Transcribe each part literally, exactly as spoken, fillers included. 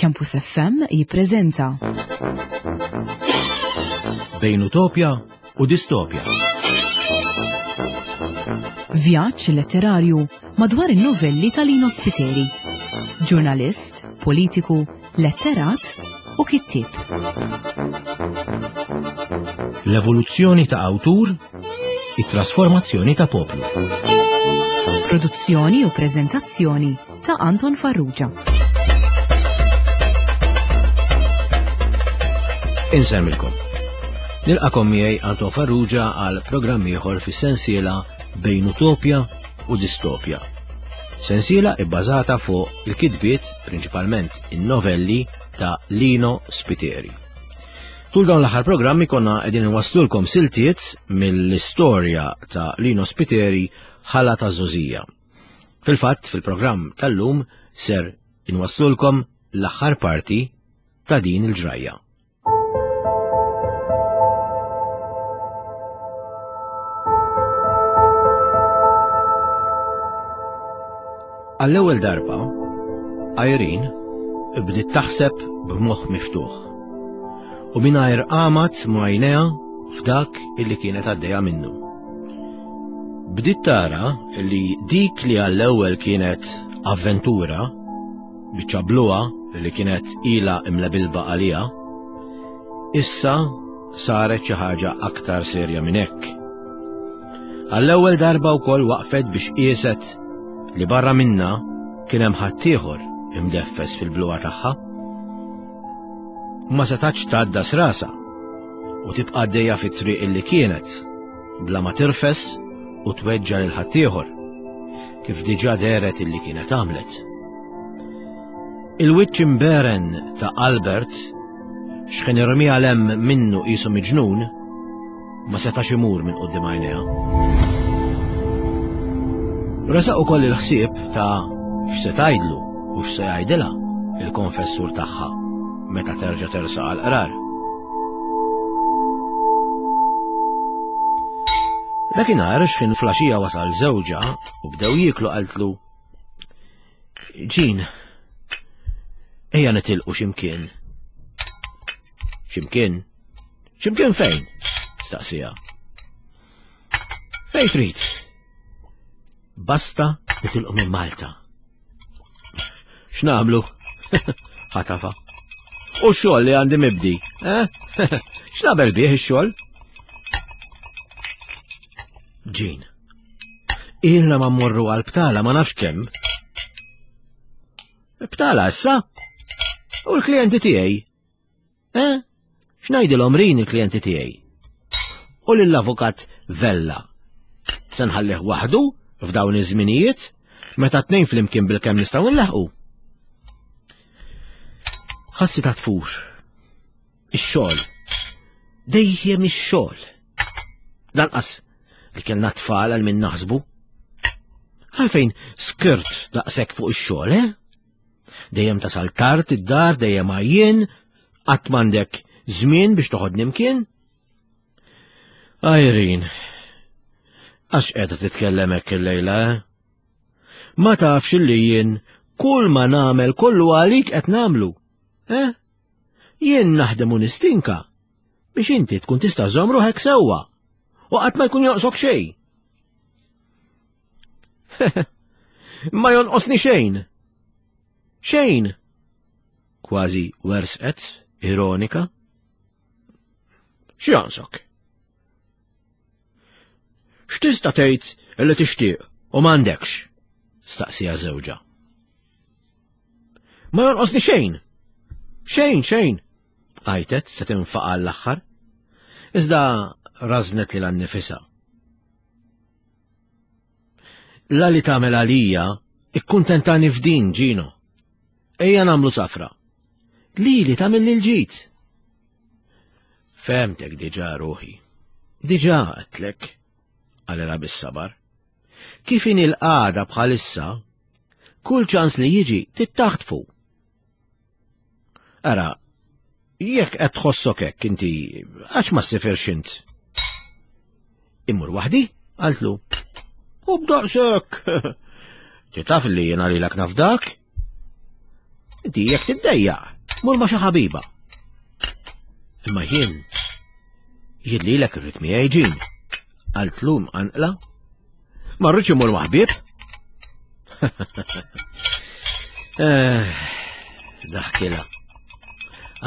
Campus F M jippreżenta Bejn Utopja u Distopja. Vjaġġ letterarju madwar in-novelli ta' Lino Spiteri. Ġurnalist, politiku, letterat u kittieb. L-evoluzzjoni ta' awtur, it-trasformazzjoni ta' poplu. Produzzjoni u preżentazzjoni ta' Anton Farrugia. Insemmilkom. Nilqakom miegħi Anton Farrugia għal programm ieħor fis-sensiela Bejn Utopja u Distopja. Sensiela ibbażata fuq il-kitbiet, prinċipalment in-novelli ta' Lino Spiteri. Tul dawn l-aħħar programmi konna qegħdin inwasslulkom siltiet mill-istorja ta' Lino Spiteri Ħala ta' Żgħożija. Fil-fatt, fil-programm tal-lum ser inwasslulkom l-aħħar parti ta' din il-ġrajja. Għall-ewwel darba, Irene bdiet taħseb b'moħħ miftuħ u mingħajr qamat ma' għajnejha f'dak illi kienet għaddejja minnu. Bdiet tara li dik li għall-ewwel kienet avventura, biċċa bluha li kienet ilha imlebilba għaliha, issa saret xi ħaġa aktar serja minn hekk. Għall-ewwel darba wkoll waqfet biex qieset li barra minna kien hemm ħaddieħor imdeffes fil-bluha tagħha. Ma setax tgħaddas rasha u tibqa' għaddejja fit-triq illi kienet bla ma tirfes u tweġġa' lil ħaddieħor, kif diġà dehret illi kienet għamlet. Il-wiċċ imberen ta' Albert x'kien irmiha l-hemm minnu qisu miġnun ma setax imur minn quddiem għajnejha. Resaq ukoll il-ħsieb ta' x'se tgħidlu u x'se jgħidilha il-konfessur tagħha meta terġa' tersaq għall-qrar. Dakinhar x'kien flaxija wasal żewġha u bdew jieklu qaltlu: Ġin, ejja nitilqu x'imkien. X'imkien? X'imkien fejn? Staqsija. Fejn trid? Basta nitilqu minn Malta. X'nagħmlu? Ħatafa. U x-xogħol li għandi mibdi, eh? X'nagħmel bih ix-xogħol? Ġin, ilna ma mmorru għal btala ma nafx kemm. Btala issa? U l-klijenti tiegħi? Eh? X'ngħidilhom rin il-klijenti tiegħi? U lill-avukat Vella. Se nħallih waħdu f'dawn iż-żminijiet meta tnejn flimkien bilkemm nistgħu nlaħqu. Ħassi ta' tfur. Ix-xogħol. Dejjem ix-xogħol. Lanqas li kellna tfal għal min naħsbu. Għalfejn skirt daqshekk fuq ix-xogħol, eh? Dejjem tasal tard id-dar, dejjem għajjien, qatt m'għandek żmien biex toħodni mkien. Irene, għax qiegħda titkellem hekk illejla, eh? Ma tafx illi jien kull ma nagħmel kollu għalik qed nagħmlu, eh? Jien naħdem u nistinka biex inti tkun tista' żomm ruħek sewwa u qatt ma jkun jonqsok xejn. Ma jonqosni xejn. Xejn. Kważi wersqet, ironika. X'jonqsok? X'tista' tgħid li tixtieq u m'għandekx? Staqsija żewġha. Ma jonqosni xejn. Xejn, xejn. Għajtet se tinfaqa' l-aħħar. Iżda rażnet lilha nnifisha. La li tagħmel għalija ikkuntentani f'din, Ġino. Ejja nagħmlu safra. Lili tagħmel lil ġid. Fehmtek diġà ruħi. Diġà għedtlek, qalilha bis-sabar. Kif inhi l-qagħda bħalissa, kull ċans li jiġi tittaħtfu. Ara, jekk qed tħossok hekk inti, għax ma ssifirx int? Immur waħdi? Qaltlu. U b'daqshekk. Ti taf li jiena lilek nafdak? Inti jekk tiddejjaq. Mur ma' xi ħabiba. Imma jien, jien lilek irrid miegħi Jean. Qaltlu mqanqla. Ma rridx immur ma' ħbieb. Eh, daħkilha.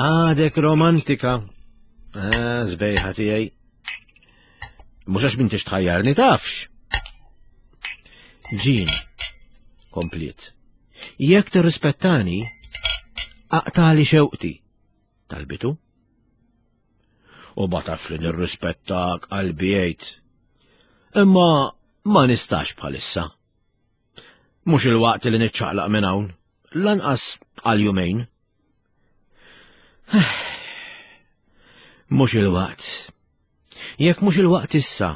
Għadek romantika. Eh, sbejħa tiegħi. Mhux għax m'intix tħajjarni tafx. Jean, kompliet. Jekk tirrispettani, aqtali xewqti, talbitu. U ma tafx li nirrispettak qalbi jgħid. Imma ma nistax bħalissa. Mhux il-waqt li niċċaqlaq minn hawn, lanqas għal jumejn. Mhux il-waqt. Jekk mhux il-waqt issa,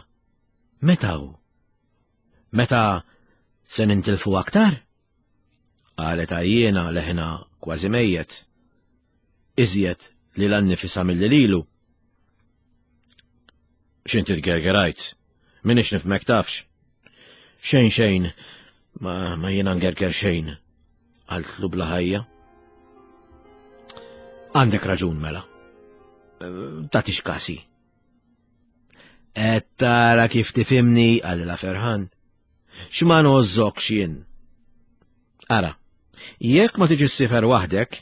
meta hu? Meta se nintilfu aktar? Qalet għajjiena leħna kważi mejjet. Iżjed li l-annifisa milli lilu. X'inti tgergerajt? Minix nifhmek tafx. Xejn xejn, ma, ma jiena ngerger xejn, qaltlu bla ħajja. Għandek raġun mela. Tagħtix kasi. Qed tara kif tifhimni, qalilha ferħan. X'ma ngħożżokx jien. Ara, jekk ma tiġi ssifer waħdek,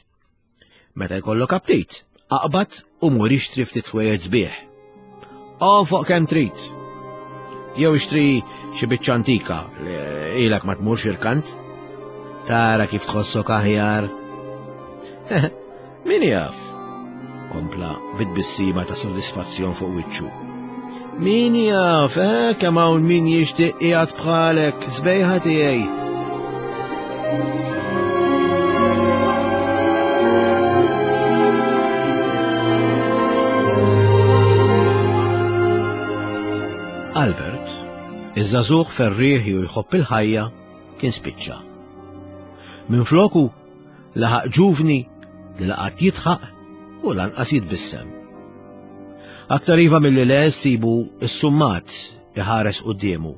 meta jkollok aptit, aqbad u mur ixtri ftit ħwejjeġ sbieħ. Onfoq kemm trid. Jew ixtri xi biċċa antika li ilek ma tmurx irkant. Tara kif tħossok aħjar. Min jaf? Kompla bit-tbissima ta' sodisfazzjon fuq wiċċu. Min jaf, eh, kemm hawn min jixtieq qiegħed bħalek, sbejħa tiegħi. Albert, iż-żagħżugħ ferrieħi u jħobb il-ħajja, kien spiċċa. Minfloku laħaq ġuvni li laqat jidħaq u lanqas jitbissem. Aktar iva milli le sibu s-summat iħares quddiemu.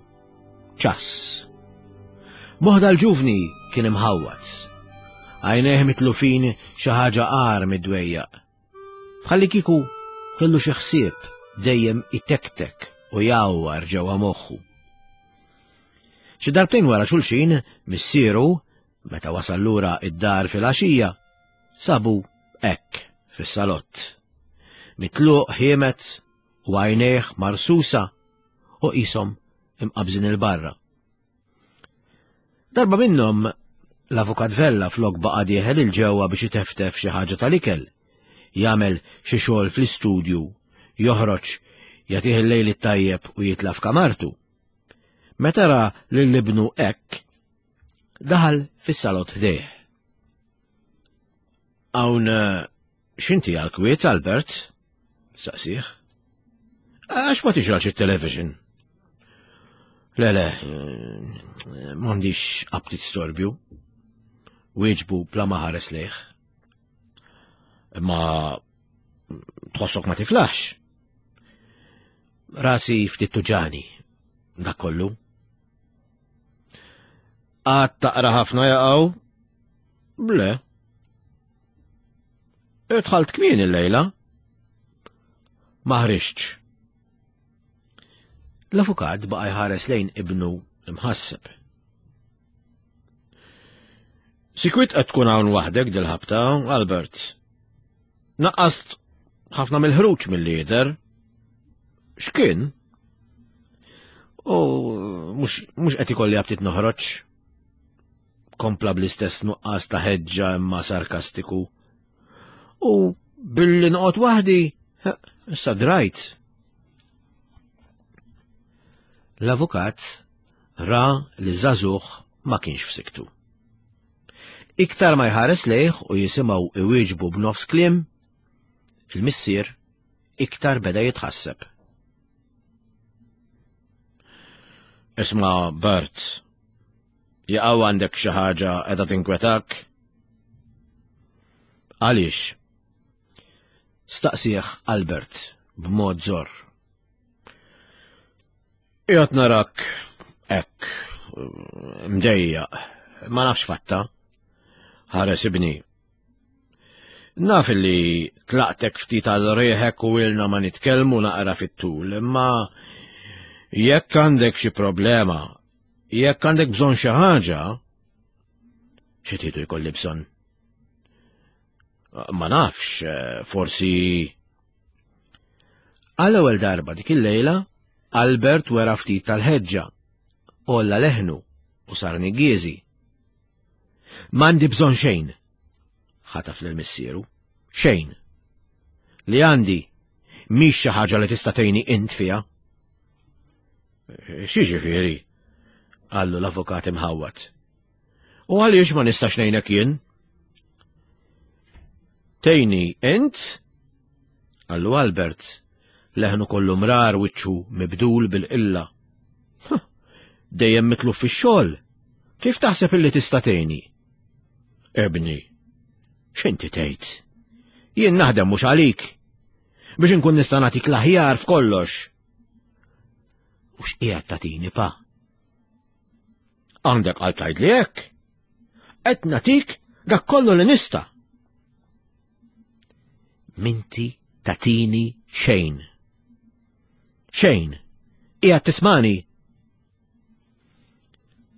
Ċass. Moħda l-ġuvni kien imħawwad. Għajnejh mitlufin xi ħaġa agħar mid-dwejjaq. Bħalli kieku kellu xi ħsieb dejjem itektek u jgħawwar ġewwa moħħu. Xi darbtejn wara xulxin, missieru, meta wasal lura id-dar fil-għaxija, sabu hekk fis-salott. Mitluq ħiemet u għajnejh marsusa u qishom imqabżin il-barra. Darba minnhom l-avukat Vella flok baqa' dieħel il-ġewwa biex iteftef xi ħaġa tal-ikel, jagħmel xi xogħol fl-istudju, joħroġ, jagħtih il-lejl it-tajjeb u jitla' f'kamartu. Meta ra lil ibnu hekk, daħal fis-salott ħdejh. Hawn x'inti għal-kwiet, Albert? Saqsih. Għax ma tixgħelx it-television? Le, le, m'għandix aptit storbju. Wieġbu bla ma ħares lejh. Imma tħossok ma tiflaħx. Rasi ftit tuġani, dak kollu. Għad taqra ħafna jaqgħu? Le. Dħalt kmieni l-lejla. Ma ħriġtx. L-avukat baqa' jħares lejn ibnu imħasseb. Sikwit qed tkun hawn waħdek dil-ħabta, Albert. Naqqast ħafna mill-ħruġ mill-lider. X'kien? U mhux qed ikolli aptit noħroġ. Kompla bl-istess nuqqas ta' ħeġġa imma sarkastiku. U billi noqgħod waħdi, issa drajt. L-avukat ra li żagħżugħ ma kienx f'siktu. Iktar ma jħares lejh u jisimgħu iwieġbu b'nofs kliem, il-missier iktar beda jitħasseb. Isma' Bert, jaqgħu għandek xi ħaġa qiegħda tinkwetak? Għaliex? Staqsih Albert b'mod żorr. Qiegħed narak hekk, mdejjaq, ma nafx fatta. Ħares ibni. Naf li tlaqtek ftit għal rieħek u ilna ma nitkellmu naqra fit-tul, imma jekk għandek xi problema, jekk għandek bżonn xi ħaġa, xi tridu jkolli bżonn? Ma nafx, forsi. Għall-ewwel darba dik il-lejla, Albert wera ftit tal-ħeġġa, għolla leħnu u sar niggieżi. M'għandi bżonn xejn, ħataf lil missieru. Xejn. Li għandi mhix xi ħaġa li tista' tgħinni int fiha. X'jiġifieri? Qallu l-avukat imħawwad. U għaliex ma nistax ngħinek jien? Tgħinni int? Qallu Albert, leħnu kollu mrar wiċċu mibdul bil-qilla. Dejjem mitluf fix-xogħol. Kif taħseb illi tista' tgħinni? Ibni, x'inti tgħid? Jien naħdem mhux għalik. Biex inkun nista' nagħtik l-aħjar f'kollox. U x'qiegħed tagħtini pa? Għandek għal tgħidli hekk. Qed nagħtik dak kollu li nista'. Minti tagħtini xejn. Xejn. Qiegħed tismani.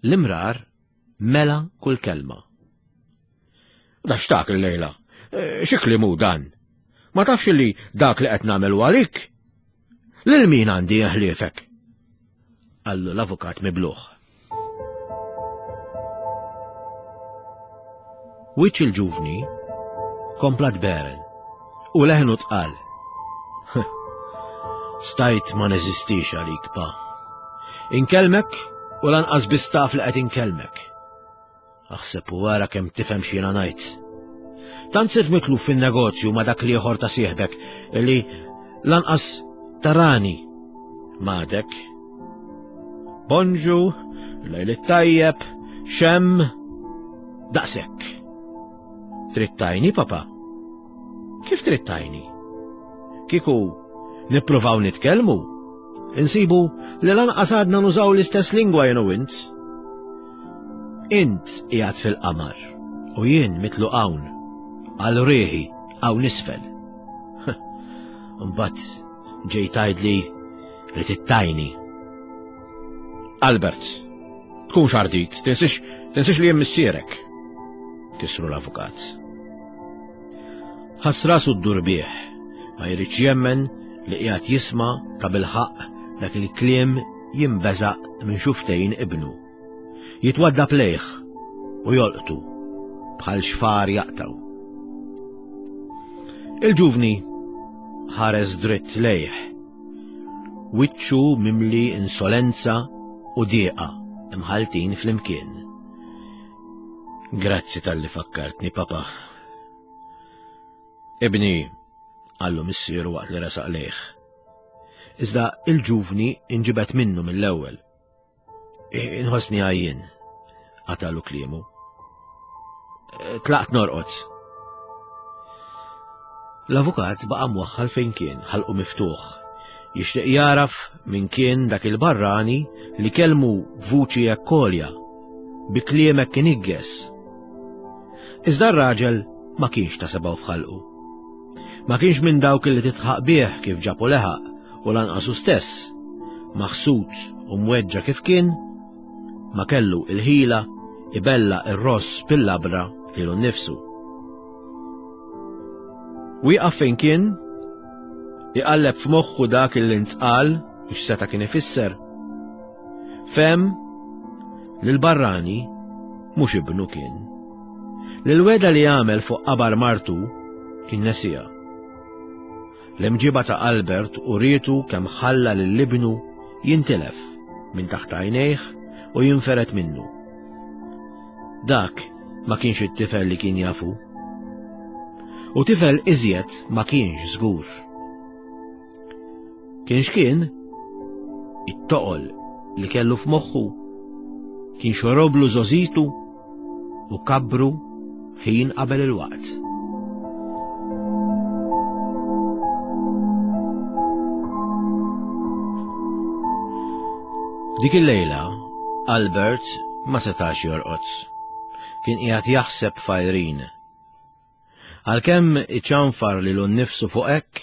L-imrar mela kull kelma. Da x'tak il-lejla? Xi kliem hu dan? Ma tafx li dak li qed nagħmel għalik? Lil min għandi ħliefek? Qallu l-avukat mibluħ. Wiċċ il-ġuvni kompla tberen u leħnu tqal. Stajt ma neżistix għalik, pa. Inkellmek u lanqas biss taf li qed inkellmek. Aħseb u wara kemm tifhem x'jiena ngħid. Tant sirt mitluf fin-negozju ma' dak l-ieħor ta' sieħbek li lanqas tarani m'għadek. Bonġu, lejl it-tajjeb, xemm, daqshekk. Trid tgħinni, papa? Kif trid tgħinni? Kieku nippruvaw nitkellmu, insibu li lanqas għadna nużaw l-istess lingwa jien u int. Int qiegħed fil-qamar u jien mitlu hawn, għal rieħi hawn isfel. Mbagħad ġej tgħidli li tittajni. Albert, tkunx ardit, tinsix, tinsix li jien missierek, kisru l-avukat. Ħass rasu ddur bih, ma jridx jemmen li qiegħed jisma' ta' bilħaqq dak il-kliem jimbeżaq minn xuftejn ibnu. Jitwaddab lejh u jolqtu bħal xfar jaqtaw. Il-ġuvni ħares dritt lejh, wiċċu mimli insolenza u dieqa imħaltin flimkien. Grazzi talli fakkartni, papa. Ibni, qallu missieru waqt li resaq lejh. Iżda il-ġuvni inġibet minnu mill-ewwel. Inħossni għajjien, qatalu kliemu. Tlaqt norqod. L-avukat baqa' mwaħħal fejn kien, ħalqu miftuħ. Jixtieq jaraf min kien dak il-barrani li kellmu b'vuċi hekk għolja, bi kliem hekk inigges. Iżda r-raġel ma kienx ta' sebgħu f'ħalqu. Ma kienx minn dawk li titħaq bih kif ġabu leħaq u lanqas hu stess, maħsud u mweġġa kif kien, ma kellu il-ħila ibella ir-ross bil-labra lilu nnifsu. Wieqaf fejn kien, iqalleb f'moħħu dak li ntqal u x'seta' kien ifisser. Fehem li l-barrani mhux ibnu kien. Li l-weda li għamel fuq qabar martu kien nesija. L-imġiba ta' Albert urietu kemm ħalla lil ibnu jintilef minn taħt għajnejh u jinferet minnu. Dak ma kienx it-tifel li kien jafu. U tifel iżjed ma kienx żgur. Kien x'kien, it-toqol li kellu f'moħħu kien xoroblu żożitu u kabru ħin qabel il-waqt. Dik il-lejla, Albert ma setax jorqod. Kien qiegħed jaħseb f'Irene. Għalkemm iċanfar lilu nnifsu fuq hekk,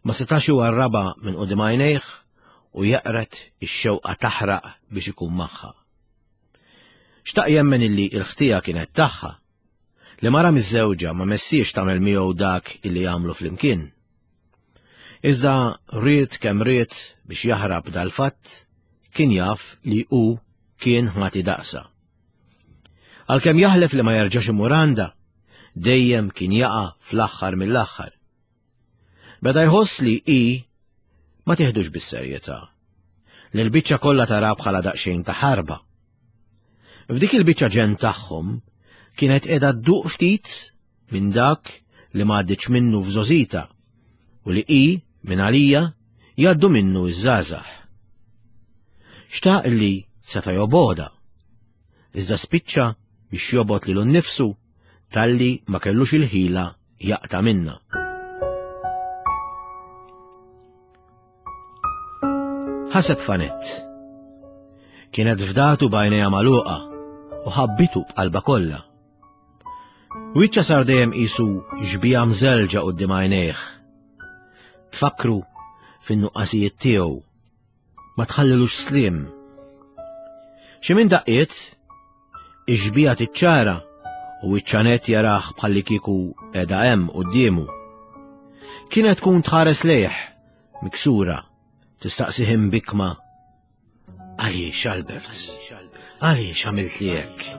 ma setax iwarrabha minn quddiem għajnejh u jeqred ix-xewqa taħraq biex ikun magħha. Xtaq jemmen illi l-ħtija kienet tagħha, li mara miżżewġa ma messiex tagħmel miegħu dak illi jagħmlu flimkien. Iżda ried kemm ried biex jaħrab dal-fatt, kien jaf li hu kien ħati daqsa. Għalkemm jaħlef li ma jerġax imur għandha, dejjem kien jaqa' fl-aħħar mill-aħħar. Beda jħoss li hi ma tiħdux bis-serjetà, li l-biċċa kollha tara bħala daqsxejn ta' ħarba. F'dik il-biċċa ġenn tagħhom kienet qiegħda dduq ftit minn dak li ma għaddietx minnu f'żgħożitha u li hi minn għalija jgħaddu minnu ż-żgħażagħ. Xtaq li seta' jobgħodha, iżda spiċċa biex jobgħod lilu nnifsu talli ma kellux il-ħila jaqta' minnha. Ħaseb f'Anett. Kienet fdatu b'għajnejha magħluqa u ħabbitu b'qalbha kollha. Wiċċha sar dejjem qisu xbieha mżelġa quddiem għajnejh. Tfakkru fin-nuqqasijiet tiegħu. Ma tħallilux sliem. Xi minn daqqiet, ix-xbieha tiċċara u wiċċ Anett jarah bħallikieku qiegħda hemm quddiemu. Kienet tkun tħares lejh, miksura, tistaqsih imbikma. Għaliex, Albert? Għaliex għamilt li hekk?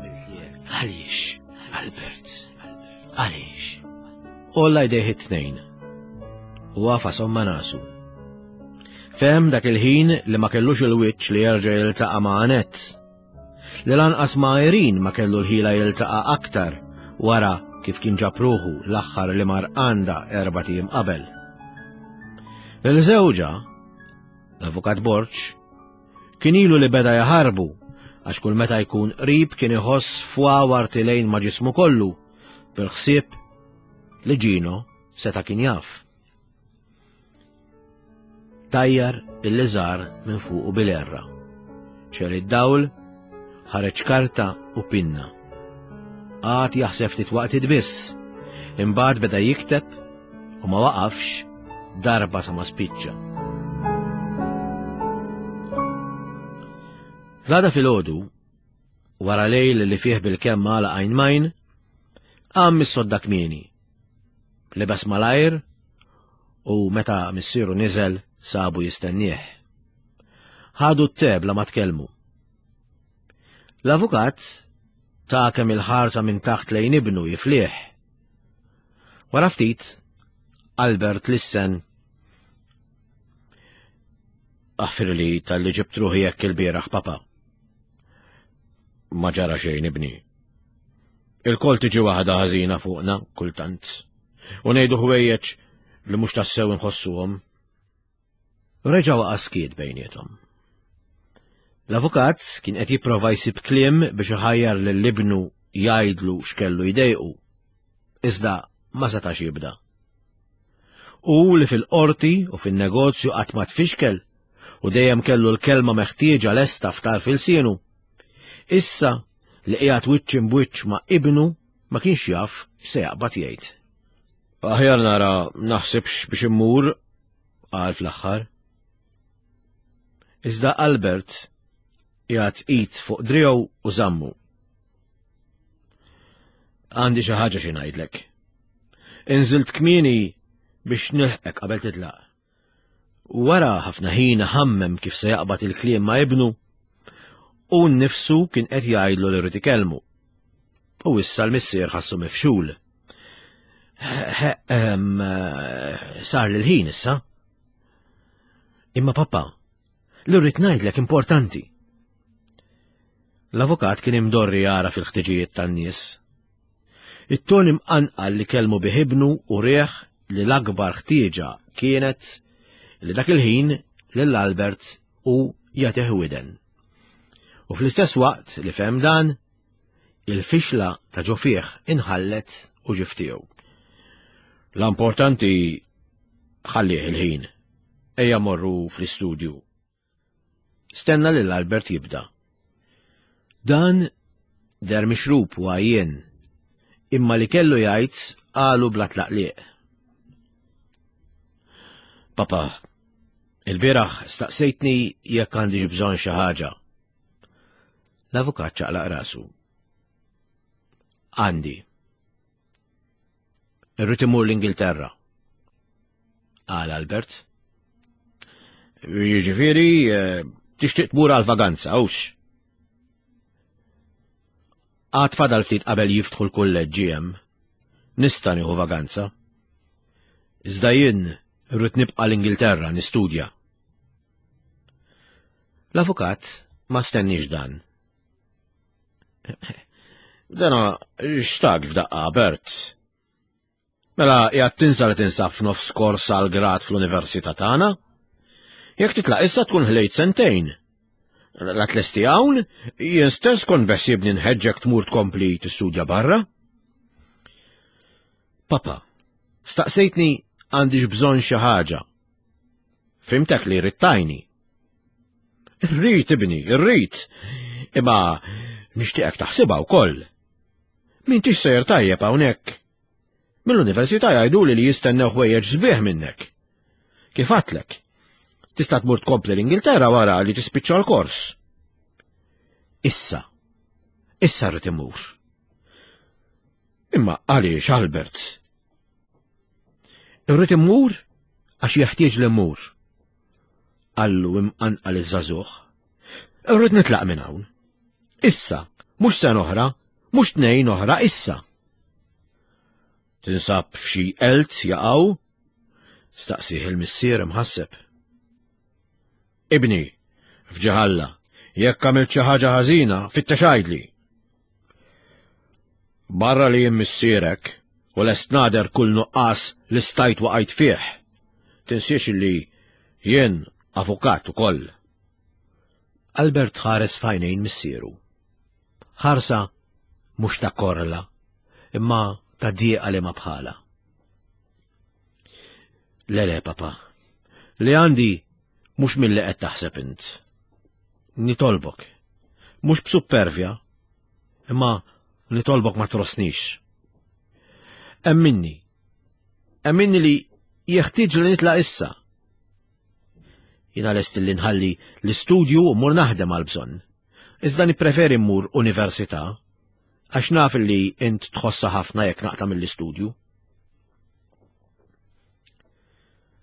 Għaliex, Albert? Għaliex? Għolla jdejh it-tnejn u għafashom ma' nasu. Fehem dak il-ħin li ma kellux il-wiċċ li jerġa' jiltaqa' ma' Anett. Li lanqas ma' Irene ma kellu l-ħila jiltaqa' aktar wara kif kien ġab ruħu l-aħħar li mar għandha erbat ijiem qabel. Lil żewġha, l-Avukat Borg, kien ilu li beda jaħarbu għax kull meta jkun qrib kien iħoss fwawar tilgħin ma' ġismu kollu bil-ħsieb li Gino seta' kien jaf. Tajjar il-liżar minn fuqu bil-erra. Xegħel id-dawl, ħareġ karta u pinna. Qagħad jaħseb ftit waqtiet biss, imbagħad beda jikteb u ma waqafx darba sa ma spiċċa. L-għada filgħodu, wara lejl li fih bil-kemm għalaq għajn majn, qam mis-sodda kmieni. Libes malajr u meta missieru niżel sabu jistennieh. Ħadu t-te bla ma tkellmu. L-avukat ta' kemm il-ħarsa minn taħt lejn ibnu jiflih. Wara ftit, Albert lissen. Aħfirli talli ġibt ruħi hekk il-bieraħ, papa. Ma ġara xejn, ibni. Il-kol tiġi waħda ħażina fuqna kultant. U ngħidu ħwejjeġ li mhux tassew inħossuhom. Reġa' waqa' skiet bejniethom. L-avukat kien qed jipprova jsib kliem biex iħajjar lil ibnu jgħidlu x'kellu jdejqu. Iżda ma setax jibda. U li fil-qorti u fin-negozju qatt ma tfixkel u dejjem kellu l-kelma meħtieġa lesta f'tarf ilsienu. Issa li qiegħed wiċċ imbwiċċ ma' ibnu ma kienx jaf x'se jaqbad jgħid. Aħjar nara naħsibx biex immur, qal fl-aħħar. Iżda Albert qiegħed id fuq driegħu u żammu. Għandi xi ħaġa xi ngħidlek. Inżilt kmieni biex nilħqek qabel titlaq. Wara ħafna ħin ħammem kif se jaqbad il-kliem ma' ibnu, u nnifsu kien qed jgħidlu li rrid ikellmu. U issa l-missier ħassu mifxul. Sar l-ħin issa. Imma papa, li rrid ngħidlek importanti. L-avukat kien imdorri jara fil-ħtiġijiet tan-nies. It-ton imqanqal li kellmu bih ibnu u rieħ li l-akbar ħtieġa kienet li dak il-ħin lil Albert u jagħtih widen. U fl-istess waqt li fehem dan, il-fixla ta' ġo fih inħallet u ġie f'tiegħu. L-importanti ħallih il-ħin. Ejja morru fl-istudju. Stenna lil Albert jibda. Dan der mixrub u għajjien, Imma li kellu jgħid qalu bla tlaqliq. Papa, il-bieraħ staqsejtni jekk għandix bżonn xi ħaġa. L-avukat ċaqlaq rasu. Għandi. Irrid imur l-Ingilterra. Qal Albert. Jiġifieri, eh, tixtieq tmur għal vaganza, hux? Għad fadal ftit qabel jiftħu l-kulleġġi hemm. Nista' nieħu vaganza. Iżda jien irrid nibqa' l-Ingilterra nistudja. L-avukat ma stenniex dan. Dana xtaq f'daqqa, Bert. Mela qiegħed tinsa li tinsab f'nofs kors għal grad fl-università tagħna? Jekk titlaq issa tkun ħlejt sentejn. La tlesti hawn, jien stess kont beħsiebni nħeġġek tmur tkompli tistudja barra. Papa, staqsejtni għandix bżonn xi ħaġa. Fhimtek li ridt tgħinni. Irrid ibni, irrid. Imma nixtieqek taħsibha wkoll. M'intix sejjer tajjeb hawnhekk. Mill-università jgħiduli li jistennew ħwejjeġ sbieħ minnek. Kif għedtlek? Tista' tmur tkompli l-Ingilterra wara li tispiċċa l-kors. Issa. Issa rrid imur. Imma għaliex Albert? Irrid immur għax jeħtieġ li mmur. Qallu imqanqal iż-żagħżugħ. Irrid nitlaq minn hawn. Issa, mhux sena oħra, mhux tnejn oħra, issa. Tinsab f'xi elt jaqaw? Staqsih il-missier imħasseb. Ibni, f'ġieħ Alla, jekk għamilt xi ħaġa ħażina, fittex għidli. Barra li jien missierek u lest nagħder kull nuqqas li stajt waqajt fih. Tinsiex li jien avukat ukoll. Albert ħares f'għajnejn missieru. Ħarsa mhux ta' korla, imma ta' dieqa li ma bħala. Le le, papa, li għandi mhux milli qed taħseb int. Nitolbok, mhux b'suppervja, imma nitolbok ma trossnix. Emminni, emminni li jeħtieġ li nitlaq issa. Jiena lest li nħalli l-istudju u mmur naħdem għal bżonn. Iżda nippreferi mmur università, għax naf li int tħossa ħafna jekk naqta' mill-istudju.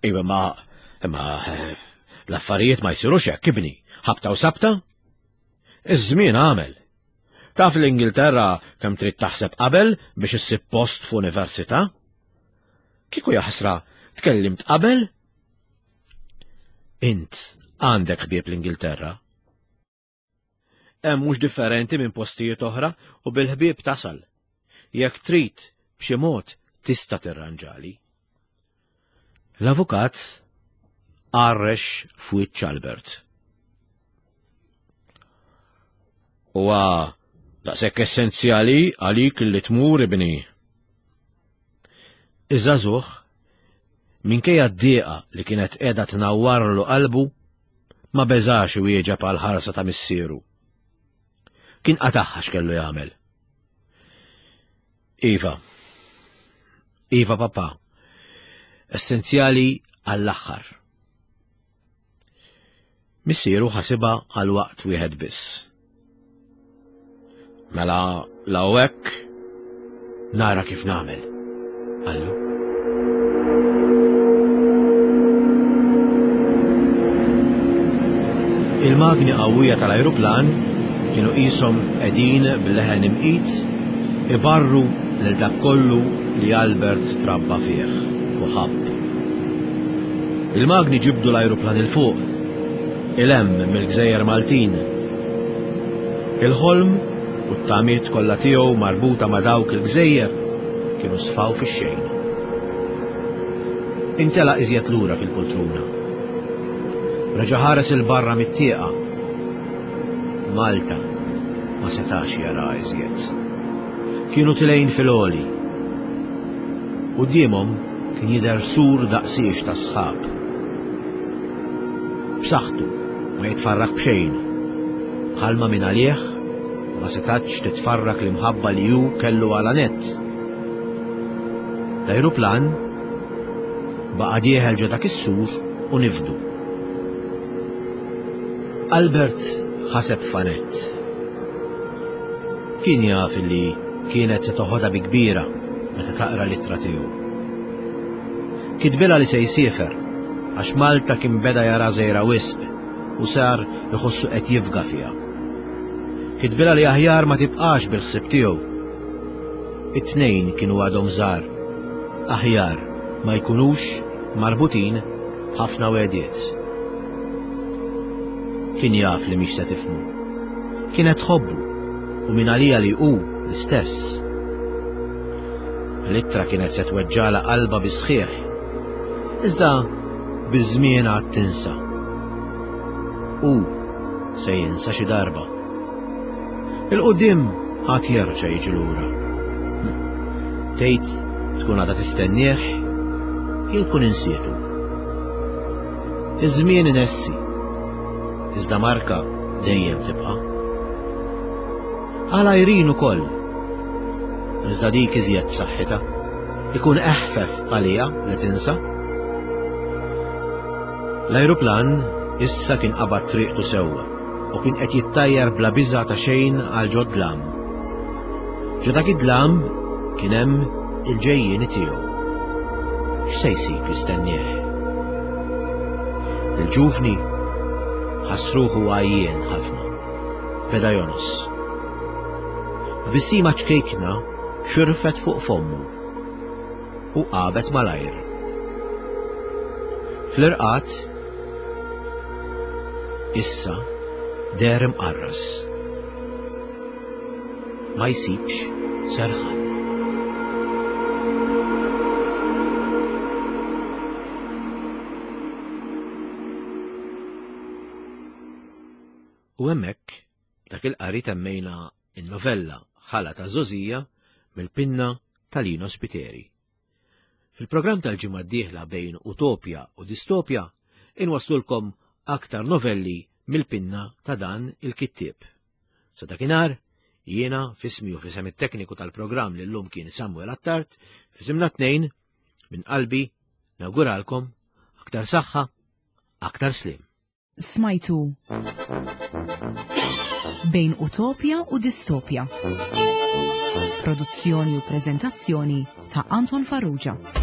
Iva, ma, ma, l-affarijiet ma jsirux hekk, ibni, ħabta u sabta? Iż-żmien għamel. Taf l-Ingilterra kemm trid taħseb qabel biex issib post f'università? Kieku jaħsra tkellimt qabel? Int għandek ħbieb l-Ingilterra. Hemm mhux differenti minn postijiet oħra u bil-ħbieb tasal. Jekk trid b'xi mod tista' tirranġali. L-avukat għarrex f'wiċċ Albert. Huwa daqshekk essenzjali għalik li tmur ibni. Iż-żagħżugħ, minkejja d-dieqa li kienet qiegħda tnawwarlu qalbu, ma beżax iwieġeb għal ħarsa ta' missieru. Kien qataħħa x'kellu jagħmel. Iva. Iva, papa. Essenzjali għall-aħħar. Missieru ħasibha għal waqt wieħed biss. Mela law hekk nara kif nagħmel, qallu. Il-magni qawwija tal-ajruplan kienu qishom qegħdin b'leħen imqit ibarru lil dak kollu li Albert trabba fih u ħabb. Il-magni ġibdu l-ajruplan 'il fuq, 'il hemm mill-gżejjer Maltin. Il-ħolm u t-tamiet kollha tiegħu marbuta ma' dawk il-gżejjer kienu sfaw fix-xejn. Intelaq iżjed lura fil-poltruna. Reġa' ħares 'il barra mit-tieqa. Malta ma setax jara iżjed. Kienu tilgħin fil-għoli. Quddiemhom kien jidher sur daqsiex ta' sħab. B'saħħtu ma jitfarrak b'xejn. Bħalma minn għalih ma setatx titfarrak l-imħabba li hu kellu għal Anett. L-ajruplan baqa' dieħel ġo dak is-sur u nifdu. Albert ħaseb f'Annette. Kien jaf li kienet se toħodha bi kbira meta taqra l-ittra tiegħu. Kitbilha li se jsiefer għax Malta kien beda jara żgħira wisq u sar iħossu qed jifga fiha. Kitbilha li aħjar ma tibqax bil-ħsieb tiegħu. It-tnejn kienu għadhom żgħar. Aħjar ma jkunux marbutin b'ħafna wegħdiet. Kien jaf li mhix se tifhmu. Kienet tħobbu u min għalija li hu l-istess. L-ittra kienet se tweġġagħlha qalbha bis-sħiħ. Iżda biż-żmien għad tinsa. U se jinsa xi darba. Il-qudiem għad jerġa' jiġi lura. Tgħid tkun għadha tistennieh jew tkun insietu. Iż-żmien inessi, iżda marka dejjem tibqa'. Għal Irene ukoll. Iżda dik iżjed b'saħħitha. Ikun eħfef għaliha li tinsa. L-ajruplan issa kien qabad triqtu sewwa u kien qed jittajjar bla biża' ta' xejn għal ġo dlam. Ġo dak id-dlam kien hemm il-ġejjieni tiegħu. X'se jsib jistennieh? Il-ġuvni ħass ruħu għajjien ħafna. Beda jonqos. Tbissima ċkejkna xirfet fuq fommu u għabet malajr. Fl-irqad issa deher imqarras. Ma jsibx serħan. U hemmhekk dak il-qari temmejna in-novella Ħala ta' Żgħożija mill-pinna ta' Lino Spiteri. Fil-programm tal-ġimgħa d-dieħla bejn Utopja u Distopja inwaslulkom aktar novelli mill-pinna ta' dan il-kittieb. Sa dakinhar, jiena f'ismi u f'isem it-tekniku tal-programm li llum kien Samuel Attard, f'isimna tnejn minn qalbi nawguralkom aktar saħħa, aktar sliem. Smajtu Bejn Utopja u Distopja. Produzzjoni u prezentazzjoni ta' Anton Farrugia.